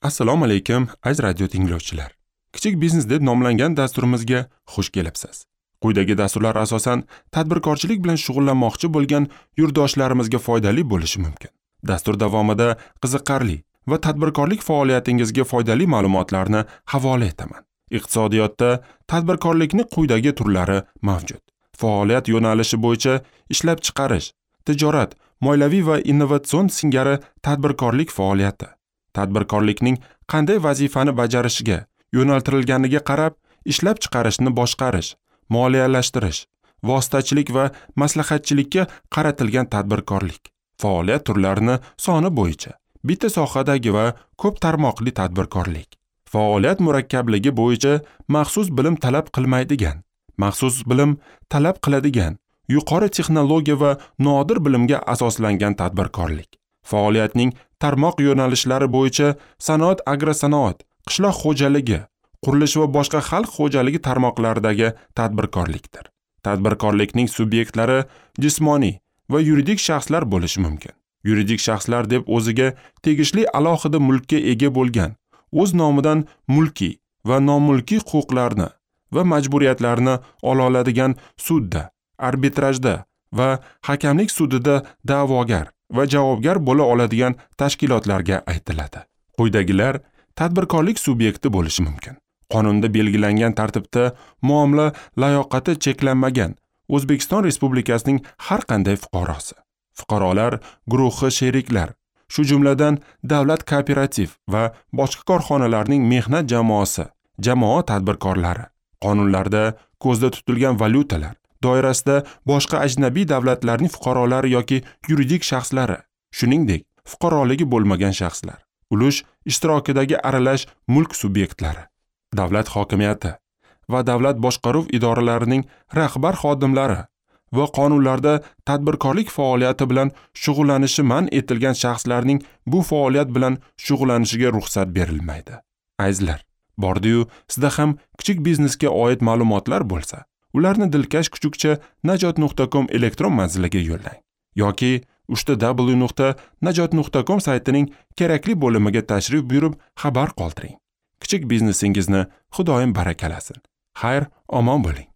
Assalomu alaykum, aziz radio tinglovchilar. Kichik biznes deb nomlangan dasturimizga xush kelibsiz. Quyidagi dasturlar asosan tadbirkorchilik bilan shug'ullanmoqchi bo'lgan yurtdoshlarimizga foydali bo'lishi mumkin. Dastur davomida qiziqarli va tadbirkorlik faoliyatingizga foydali ma'lumotlarni havola etaman. Iqtisodiyotda tadbirkorlikning quyidagi turlari mavjud. Faoliyat yo'nalishi bo'yicha ishlab chiqarish, tijorat, moliyaviy va innovatsion singari tadbirkorlik faoliyati. Tadbirkorlikning qanday vazifani bajarishiga yo'naltirilganiga qarab ishlab chiqarishni boshqarish, moliyalashtirish, vositachilik va maslahatchilikka qaratilgan tadbirkorlik. Faoliyat turlarini soni bo'yicha bitta sohadagi va ko'p tarmoqli tadbirkorlik. Faoliyat murakkabligi bo'yicha maxsus bilim talab qilmaydigan, maxsus bilim talab qiladigan, yuqori texnologiya va nodir bilimga asoslangan tadbirkorlik. Faoliyatning tarmoq yo'nalishlari bo'yicha sanoat, agrosanoat, qishloq xo'jaligi, qurilish va boshqa xalq xo'jaligi tarmoqlaridagi tadbirkorlikdir. Tadbirkorlikning subyektlari jismoniy va yuridik shaxslar bo'lishi mumkin. Yuridik shaxslar deb o'ziga tegishli alohida mulkka ega bo'lgan, o'z nomidan mulkiy va nomulkiy huquqlarni va majburiyatlarni ola oladigan sudda, arbitrajda va hakamlik sudida da'vogar va javobgar bo'la oladigan tashkilotlarga aytiladi. Quyidagilar tadbirkorlik subyekti bo'lishi mumkin. Qonunda belgilangan tartibda muomala layoqati cheklanmagan O'zbekiston Respublikasining har qanday fuqarosi, fuqarolar guruhi sheriklar, shu jumladan davlat kooperativ va boshqa korxonalarning mehnat jamoasi, jamoa tadbirkorlari, qonunlarda ko'zda tutilgan valyutalar doirasida boshqa ajnabiy davlatlarning fuqarolari yoki yuridik shaxslari, shuningdek, fuqaroligi bo'lmagan shaxslar, ulush ishtirokidagi aralash mulk subyektlari, davlat hokimiyati va davlat boshqaruv idoralarining rahbar xodimlari va qonunlarda tadbirkorlik faoliyati bilan shug'ullanishi man etilgan shaxslarning bu faoliyat bilan shug'ullanishiga ruxsat berilmaydi. Azizlar, bordi-yu sizda ham kichik biznesga oid ma'lumotlar bo'lsa, ularni dilkash kuchukcha najot.com elektron manziliga yo'llang yoki www.najot.com saytining kerakli bo'limiga tashrif buyurib xabar qoldiring. Kichik biznesingizni Xudoyim barakalasin. Xayr, omon bo'ling.